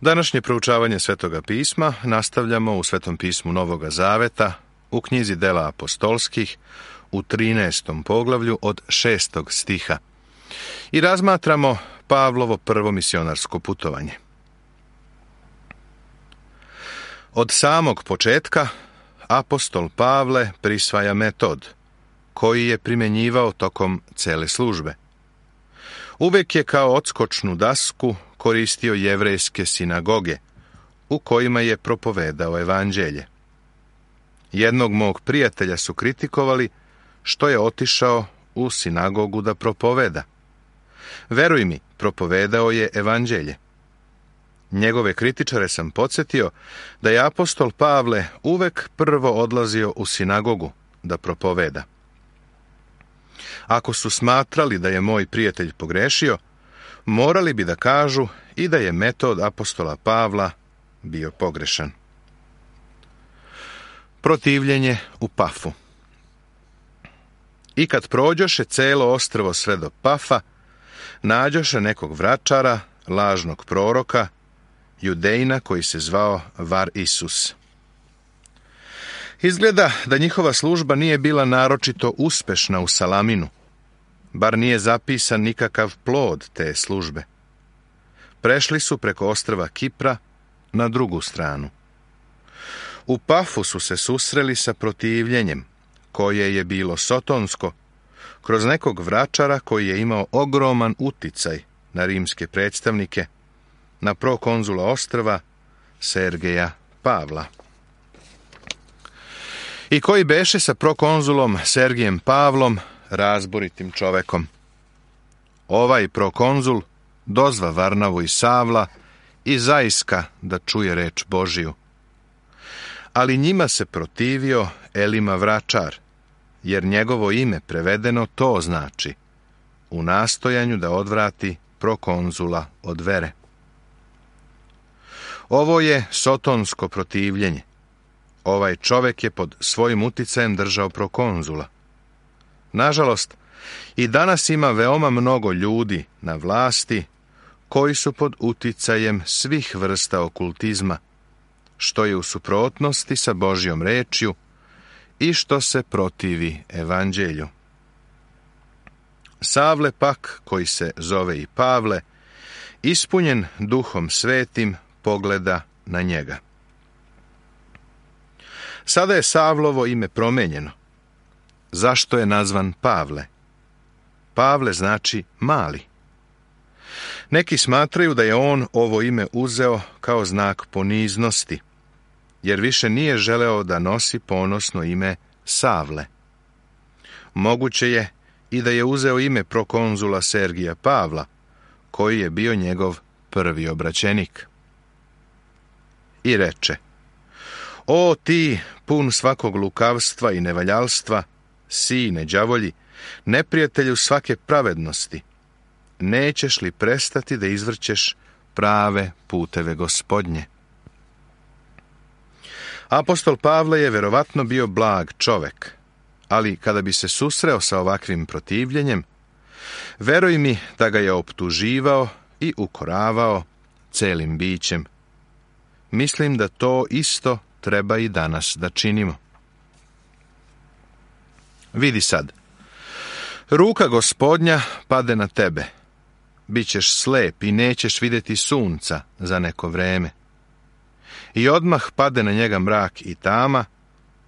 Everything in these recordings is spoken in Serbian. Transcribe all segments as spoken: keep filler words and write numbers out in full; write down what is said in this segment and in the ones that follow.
Današnje proučavanje Svetoga pisma nastavljamo u Svetom pismu Novoga Zaveta, u knjizi Dela apostolskih, u trinaestom poglavlju od šestog stiha. I razmatramo Pavlovo prvo misionarsko putovanje. Od samog početka apostol Pavle prisvaja metod koji je primjenjivao tokom cele službe. Uvek je kao odskočnu dasku koristio jevrejske sinagoge, u kojima je propovedao evanđelje. Jednog mog prijatelja su kritikovali što je otišao u sinagogu da propoveda. Veruj mi, propovedao je evanđelje. Njegove kritičare sam podsjetio da je apostol Pavle uvek prvo odlazio u sinagogu da propoveda. Ako su smatrali da je moj prijatelj pogrešio, morali bi da kažu i da je metod apostola Pavla bio pogrešan. Protivljenje u Pafu. I kad prođoše celo ostrvo sve do Pafa, nađoše nekog vračara, lažnog proroka, Judejina koji se zvao Var Isus. Izgleda da njihova služba nije bila naročito uspešna u Salaminu, bar nije zapisan nikakav plod te službe. Prešli su preko ostrva Kipra na drugu stranu. U Pafu su se susreli sa protivljenjem, koje je bilo sotonsko, kroz nekog vračara koji je imao ogroman uticaj na rimske predstavnike, na prokonzula ostrva Sergeja Pavla. I koji beše sa prokonzulom Sergijem Pavlom razboritim čovekom. Ovaj prokonzul dozva Varnavu i Savla i zaiska da čuje reč Božiju. Ali njima se protivio Elima vračar, jer njegovo ime prevedeno to znači, u nastojanju da odvrati prokonzula od vere. Ovo je sotonsko protivljenje. Ovaj čovek je pod svojim uticajem držao prokonzula. Nažalost, i danas ima veoma mnogo ljudi na vlasti koji su pod uticajem svih vrsta okultizma, što je u suprotnosti sa Božjom rečju i što se protivi evanđelju. Savle pak, koji se zove i Pavle, ispunjen Duhom Svetim, pogleda na njega. Sada je Savlovo ime promenjeno. Zašto je nazvan Pavle? Pavle znači mali. Neki smatraju da je on ovo ime uzeo kao znak poniznosti, jer više nije želeo da nosi ponosno ime Savle. Moguće je i da je uzeo ime prokonzula Sergija Pavla, koji je bio njegov prvi obraćenik. I reče: O ti, pun svakog lukavstva i nevaljalstva, sine đavolji, neprijatelju svake pravednosti, nećeš li prestati da izvrćeš prave puteve Gospodnje? Apostol Pavle je verovatno bio blag čovek, ali kada bi se susreo sa ovakvim protivljenjem, veruj mi da ga je optuživao i ukoravao celim bićem. Mislim da to isto treba i danas da činimo. Vidi sad, ruka Gospodnja pade na tebe, bićeš slep i nećeš vidjeti sunca za neko vreme. I odmah pade na njega mrak i tama,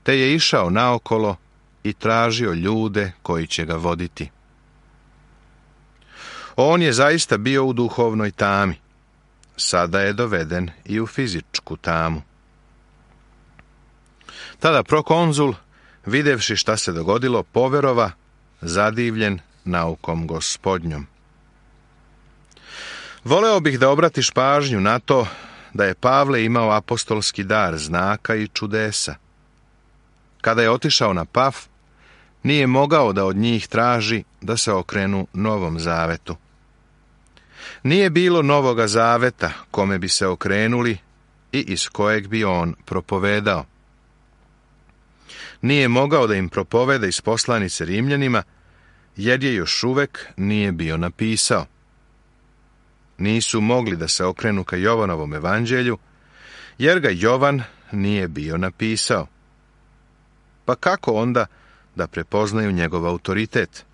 te je išao naokolo i tražio ljude koji će ga voditi. On je zaista bio u duhovnoj tami, sada je doveden i u fizičku tamu. Tada prokonzul, videvši šta se dogodilo, poverova, zadivljen naukom Gospodnjom. Voleo bih da obratiš pažnju na to da je Pavle imao apostolski dar znaka i čudesa. Kada je otišao na Paf, nije mogao da od njih traži da se okrenu Novom Zavetu. Nije bilo Novoga Zaveta kome bi se okrenuli i iz kojeg bi on propovedao. Nije mogao da im propoveda iz poslanice Rimljanima, jer je još uvek nije bio napisao. nisu mogli da se okrenu ka Jovanovom evanđelju, jer ga Jovan nije bio napisao. Pa kako onda da prepoznaju njegov autoritet?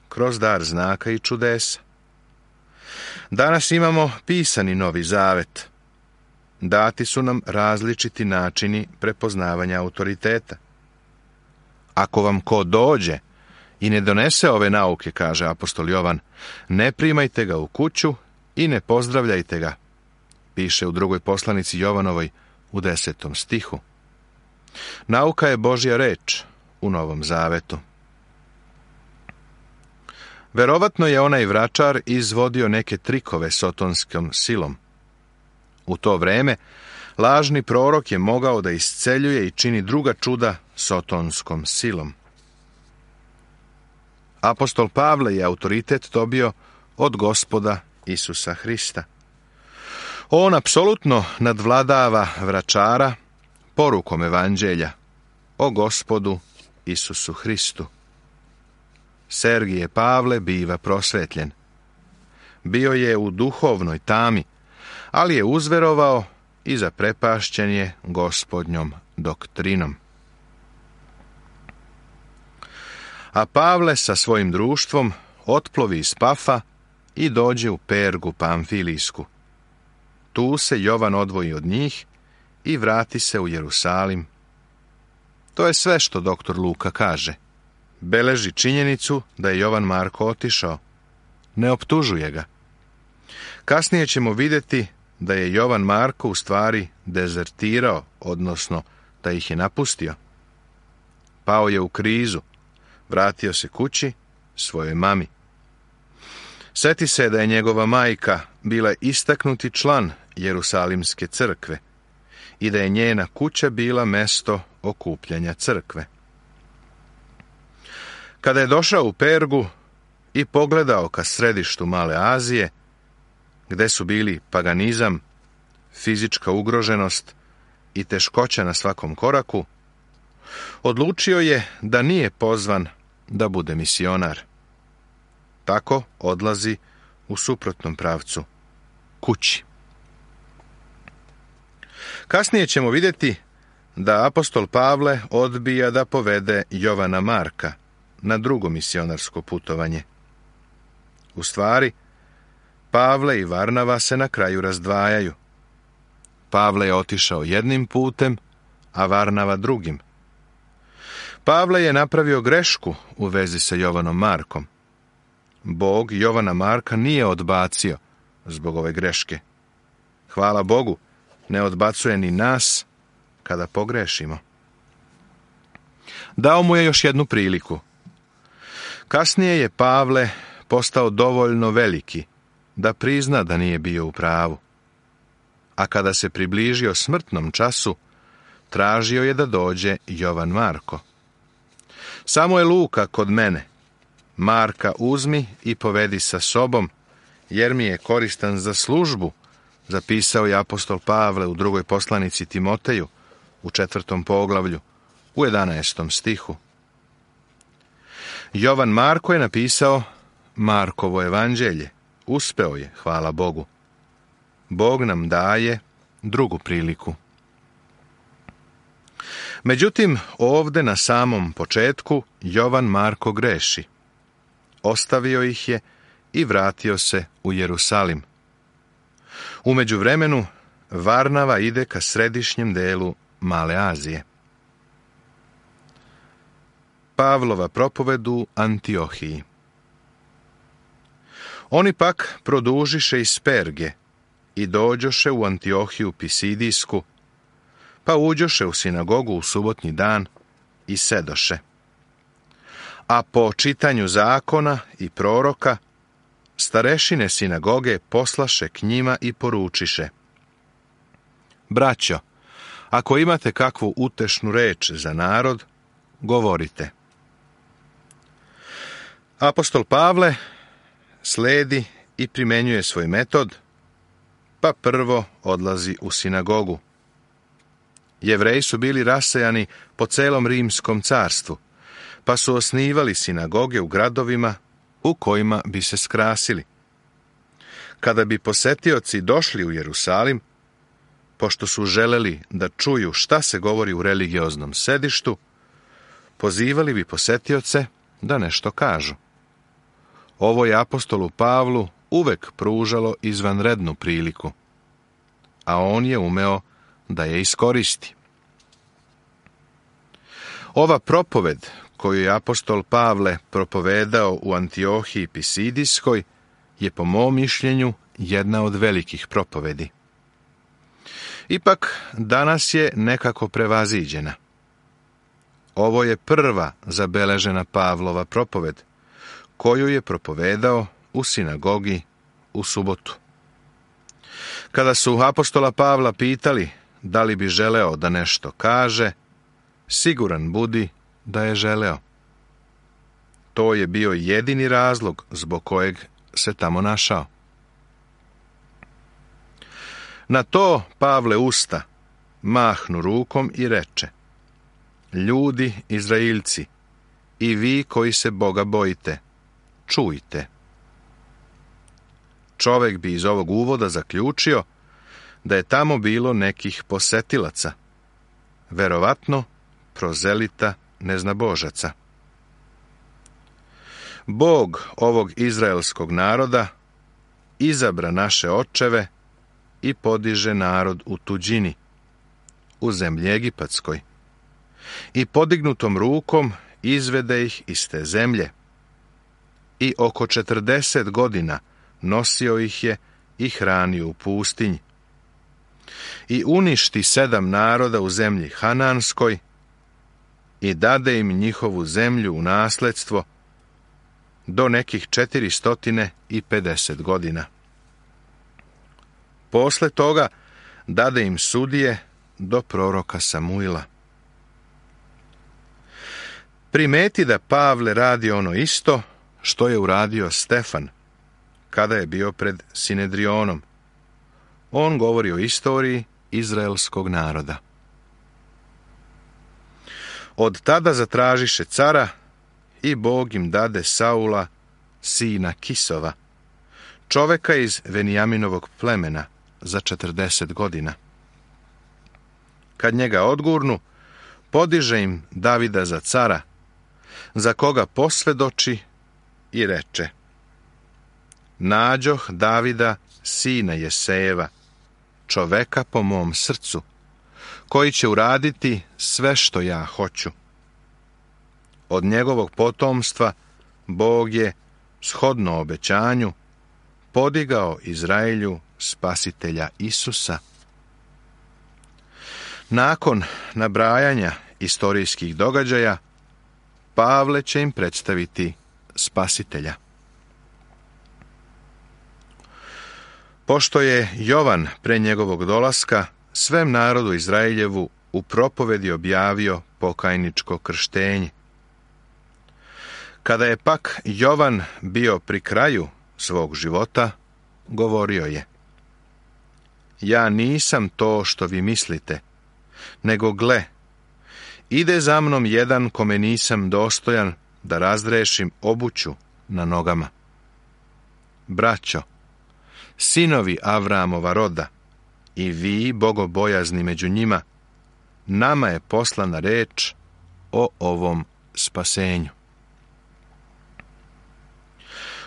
Kroz dar znaka i čudesa. Danas imamo pisani Novi Zavet. Dati su nam različiti načini prepoznavanja autoriteta. Ako vam ko dođe i ne donese ove nauke, kaže apostol Jovan, ne primajte ga u kuću i ne pozdravljajte ga, piše u drugoj poslanici Jovanovoj u desetom stihu. Nauka je Božja reč u Novom Zavetu. Verovatno je onaj vračar izvodio neke trikove sotonskom silom. U to vreme lažni prorok je mogao da isceljuje i čini druga čuda sotonskom silom. Apostol Pavle je autoritet dobio od Gospoda Isusa Hrista. On apsolutno nadvladava vračara porukom evanđelja o Gospodu Isusu Hristu. Sergije Pavle biva prosvetljen. Bio je u duhovnoj tami, ali je uzverovao i zaprepašćen je Gospodnjom doktrinom. A Pavle sa svojim društvom otplovi iz Pafa i dođe u Pergu Pamfilijsku. Tu se Jovan odvoji od njih i vrati se u Jerusalim. To je sve što doktor Luka kaže. Beleži činjenicu da je Jovan Marko otišao. Ne optužuje ga. Kasnije ćemo vidjeti da je Jovan Marko u stvari dezertirao, odnosno da ih je napustio. Pao je u krizu, vratio se kući svojoj mami. Sjeti se da je njegova majka bila istaknuti član Jerusalimske crkve i da je njena kuća bila mesto okupljanja crkve. Kada je došao u Pergu i pogledao ka središtu Male Azije, gde su bili paganizam, fizička ugroženost i teškoća na svakom koraku, odlučio je da nije pozvan da bude misionar. Tako odlazi u suprotnom pravcu, kući. Kasnije ćemo vidjeti da apostol Pavle odbija da povede Jovana Marka na drugo misionarsko putovanje. U stvari, Pavle i Varnava se na kraju razdvajaju. Pavle je otišao jednim putem, a Varnava drugim. Pavle je napravio grešku u vezi sa Jovanom Markom. Bog Jovana Marka nije odbacio zbog ove greške. Hvala Bogu, ne odbacuje ni nas kada pogrešimo. Dao mu je još jednu priliku. Kasnije je Pavle postao dovoljno veliki da prizna da nije bio u pravu. A kada se približio smrtnom času, tražio je da dođe Jovan Marko. Samo je Luka kod mene. Marka uzmi i povedi sa sobom, jer mi je koristan za službu, zapisao je apostol Pavle u drugoj poslanici Timoteju, u četvrtom poglavlju, u jedanaestom stihu. Jovan Marko je napisao Markovo evanđelje. Uspeo je, hvala Bogu. Bog nam daje drugu priliku. Međutim, ovde na samom početku Jovan Marko greši. Ostavio ih je i vratio se u Jerusalim. U međuvremenu, Varnava ide ka središnjem delu Male Azije. Pavlova propoved u Antiohiji. Oni pak produžiše iz Perge i dođoše u Antiohiju Pisidijsku, pa uđoše u sinagogu u subotnji dan i sedoše. A po čitanju zakona i proroka, starešine sinagoge poslaše k njima i poručiše: Braćo, ako imate kakvu utešnu reč za narod, govorite. Apostol Pavle sledi i primenjuje svoj metod, pa prvo odlazi u sinagogu. Jevreji su bili rasejani po celom Rimskom carstvu, pa su osnivali sinagoge u gradovima u kojima bi se skrasili. Kada bi posetioci došli u Jerusalim, pošto su želeli da čuju šta se govori u religioznom sedištu, pozivali bi posetioce da nešto kažu. Ovo je apostolu Pavlu uvek pružalo izvanrednu priliku, a on je umeo da je iskoristi. Ova propoved koju je apostol Pavle propovedao u Antiohiji Pisidijskoj je po mom mišljenju jedna od velikih propovedi. Ipak danas je nekako prevaziđena. Ovo je prva zabeležena Pavlova propoved, koju je propovedao u sinagogi u subotu. Kada su apostola Pavla pitali da li bi želeo da nešto kaže, siguran budi da je želeo. To je bio jedini razlog zbog kojeg se tamo našao. Na to Pavle usta mahnu rukom i reče: ljudi Izraeljci, i vi koji se Boga bojite, čujte. Čovek bi iz ovog uvoda zaključio da je tamo bilo nekih posetilaca, verovatno prozelita neznabožaca. Bog ovog izraelskog naroda izabra naše očeve i podiže narod u tuđini, u zemlji Egipatskoj, i podignutom rukom izvede ih iz te zemlje, i oko četrdeset godina nosio ih je i hranio u pustinji, i uništi sedam naroda u zemlji Hananskoj i dade im njihovu zemlju u nasledstvo do nekih četiristo pedeset godina. Posle toga dade im sudije do proroka Samuila. Primeti da Pavle radi ono isto što je uradio Stefan kada je bio pred Sinedrionom. On govori o istoriji izraelskog naroda. Od tada zatražiše cara i Bog im dade Saula, sina Kisova, čoveka iz Venijaminovog plemena, za četrdeset godina. Kad njega odgurnu, podiže im Davida za cara, za koga posvedoči i reče: nađoh Davida, sina Jesejeva, čoveka po mom srcu, koji će uraditi sve što ja hoću. Od njegovog potomstva Bog je, shodno obećanju, podigao Izraelju spasitelja Isusa. Nakon nabrajanja istorijskih događaja, Pavle će im predstaviti spasitelja. Pošto je Jovan pre njegovog dolaska svem narodu Izraeljevu u propovedi objavio pokajničko krštenje. Kada je pak Jovan bio pri kraju svog života, govorio je: ja nisam to što vi mislite, nego gle, ide za mnom jedan kome nisam dostojan da razrešim obuću na nogama. Braćo, sinovi Avramova roda, i vi, bogobojazni među njima, nama je poslana reč o ovom spasenju.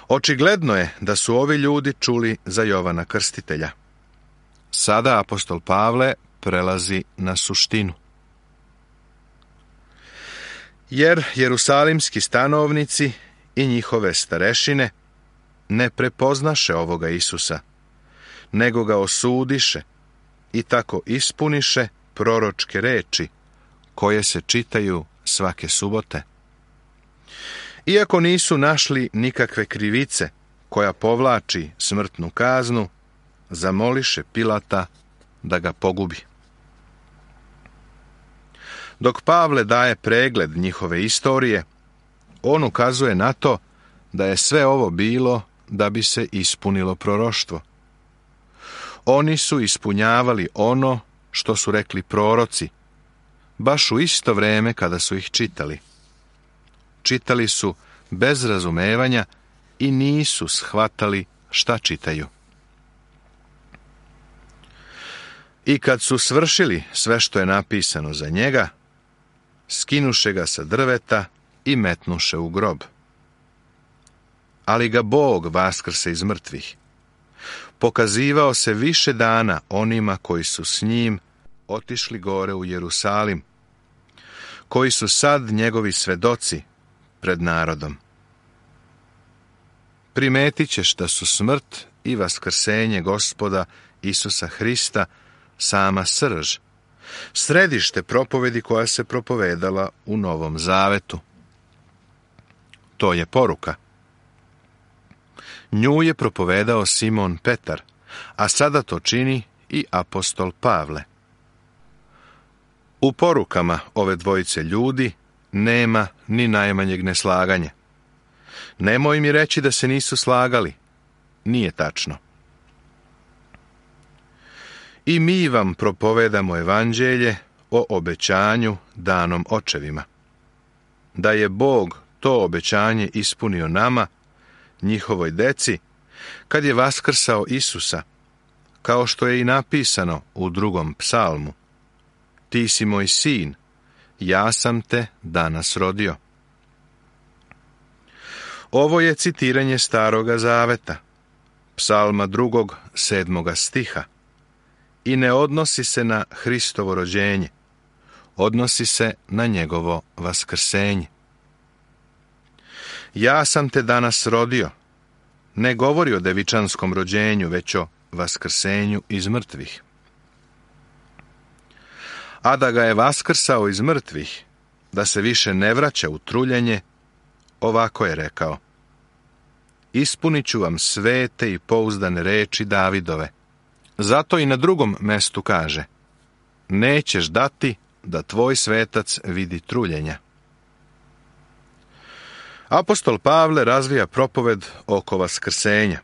Očigledno je da su ovi ljudi čuli za Jovana Krstitelja. Sada apostol Pavle prelazi na suštinu. Jer jerusalimski stanovnici i njihove starešine ne prepoznaše ovoga Isusa, nego ga osudiše i tako ispuniše proročke reči koje se čitaju svake subote. Iako nisu našli nikakve krivice koja povlači smrtnu kaznu, zamoliše Pilata da ga pogubi. Dok Pavle daje pregled njihove istorije, on ukazuje na to da je sve ovo bilo da bi se ispunilo proroštvo. Oni su ispunjavali ono što su rekli proroci, baš u isto vreme kada su ih čitali. Čitali su bez razumevanja i nisu shvatali šta čitaju. I kad su svršili sve što je napisano za njega, skinuše ga sa drveta i metnuše u grob. Ali ga Bog vaskrse iz mrtvih. Pokazivao se više dana onima koji su s njim otišli gore u Jerusalim, koji su sad njegovi svedoci pred narodom. Primetit ćeš da su smrt i vaskrsenje Gospoda Isusa Hrista sama srž, središte propovedi koja se propovedala u Novom Zavetu. To je poruka. Nju je propovedao Simon Petar, a sada to čini i apostol Pavle. U porukama ove dvojice ljudi nema ni najmanjeg neslaganja. Nemoj mi reći da se nisu slagali. Nije tačno. I mi vam propovedamo evanđelje o obećanju danom očevima. Da je Bog to obećanje ispunio nama, njihovoj deci, kad je vaskrsao Isusa, kao što je i napisano u drugom psalmu. Ti si moj sin, ja sam te danas rodio. Ovo je citiranje Staroga Zaveta, psalma drugog, sedmoga stiha, i ne odnosi se na Hristovo rođenje, odnosi se na njegovo vaskrsenje. Ja sam te danas rodio, ne govori o devičanskom rođenju, već o vaskrsenju iz mrtvih. A da ga je vaskrsao iz mrtvih, da se više ne vraća u truljenje, ovako je rekao: ispunit ću vam svete i pouzdane reči Davidove. Zato i na drugom mestu kaže: nećeš dati da tvoj svetac vidi truljenja. Apostol Pavle razvija propoved oko vaskrsenja.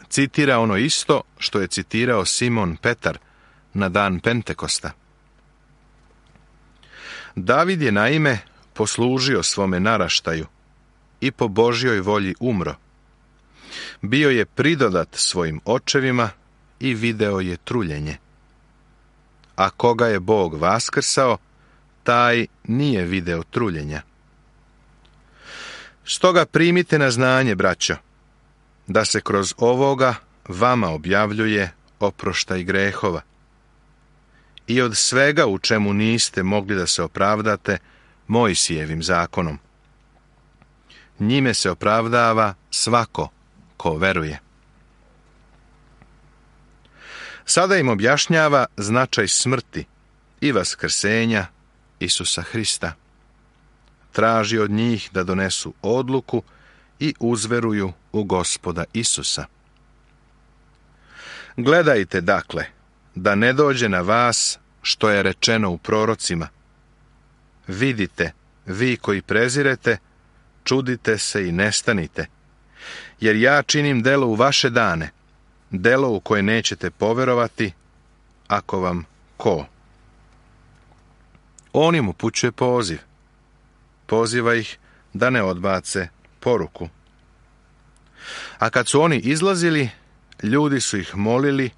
Citira ono isto što je citirao Simon Petar na dan Pentekosta. David je naime poslužio svome naraštaju i po Božjoj volji umro. Bio je pridodat svojim očevima i video je truljenje. A koga je Bog vaskrsao, taj nije video truljenja. Stoga primite na znanje, braćo, da se kroz ovoga vama objavljuje oproštaj grehova. I od svega u čemu niste mogli da se opravdate Mojsijevim zakonom. Njime se opravdava svako ko veruje. Sada im objašnjava značaj smrti i vaskrsenja Isusa Hrista. Traži od njih da donesu odluku i uzveruju u Gospoda Isusa. Gledajte, dakle, da ne dođe na vas što je rečeno u prorocima. Vidite, vi koji prezirete, čudite se i nestanite, jer ja činim delo u vaše dane, delo u koje nećete poverovati, ako vam ko. On im upućuje poziv. Poziva ih da ne odbace poruku. A kad su oni izlazili, ljudi su ih molili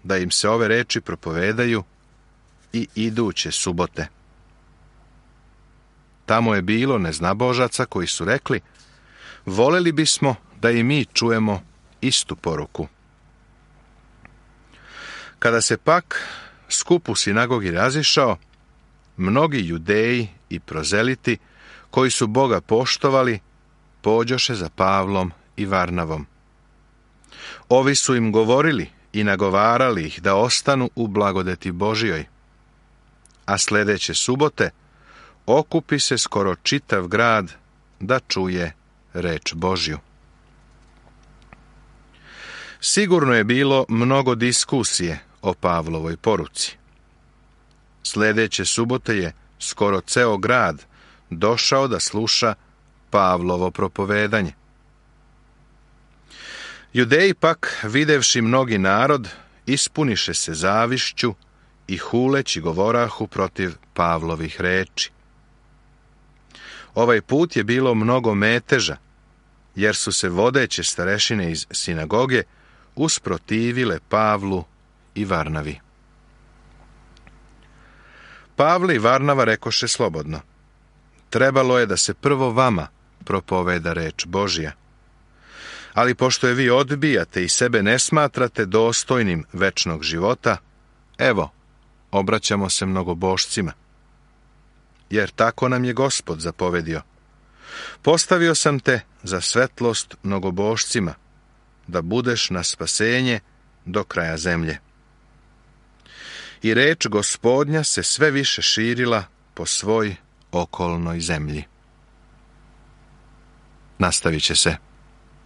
da im se ove reči propovedaju i iduće subote. Tamo je bilo neznabožaca koji su rekli: voleli bismo da i mi čujemo istu poruku. Kada se pak skup u sinagogi razišao, mnogi judeji i prozeliti koji su Boga poštovali, pođoše za Pavlom i Varnavom. Ovi su im govorili i nagovarali ih da ostanu u blagodeti Božjoj. A sljedeće subote okupi se skoro čitav grad da čuje reč Božju. Sigurno je bilo mnogo diskusije o Pavlovoj poruci. Sljedeće subote je skoro ceo grad došao da sluša Pavlovo propovedanje. Judeji pak, videvši mnogi narod, ispuniše se zavišću i huleći govorahu protiv Pavlovih reči. Ovaj put je bilo mnogo meteža, jer su se vodeće starešine iz sinagoge usprotivile Pavlu i Varnavi. Pavle i Varnava rekoše slobodno: trebalo je da se prvo vama propoveda reč Božja. Ali pošto je vi odbijate i sebe ne smatrate dostojnim večnog života, evo, obraćamo se mnogobošcima. Jer tako nam je Gospod zapovedio: postavio sam te za svetlost mnogobošcima, da budeš na spasenje do kraja zemlje. I reč Gospodnja se sve više širila po svoj okolnoj zemlji. Nastavit će se.